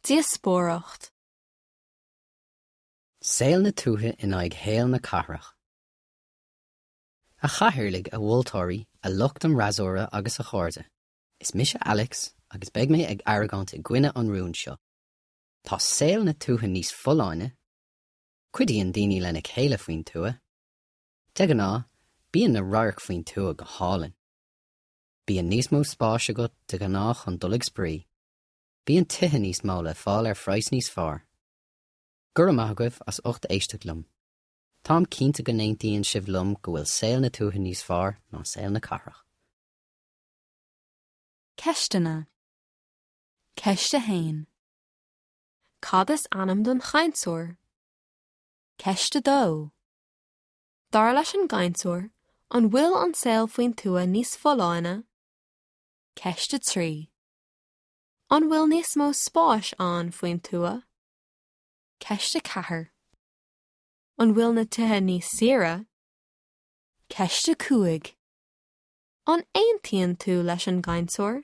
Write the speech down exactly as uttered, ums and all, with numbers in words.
Díospóireacht. Saol na tuaithe in aghaidh shaol na cathrach. A chathaoirligh a mholtóirí a lucht an fhreasúra agus a chairde. Is mise Alex agus beidh mé ag argóint i gcoinne an rúin seo. Tá saol na tuaithe níos folláine, Cuidíonn daoine lena chéile faoin tuath. De ghnáth, bíonn na radhairc faoin tuath go hálainn. Bíonn níos mó spáis agat de ghnáth chun dul ag spraoi. Bíonn tithe níos mó le fáil ar phraghas níos fearr. Go raibh maith agaibh as ucht éisteacht liom. Táim cinnte go n-aontaíonn sibh liom go bhfuil saol na tuaithe níos fearr ná saol na cathrach. Ceisteanna. Ceist a haon. Cad is ainm don chainteoir? Ceist a dó. Dar leis an gcainteoir, an bhfuil an saol faoin tuath níos folláine? Ceist a trí. An bhfuil níos mó spáis ann faoin tuath? Ceist a ceathair. An bhfuil na tithe níos saoire? Ceist a cúig. An aontaíonn tú leis an gcainteoir?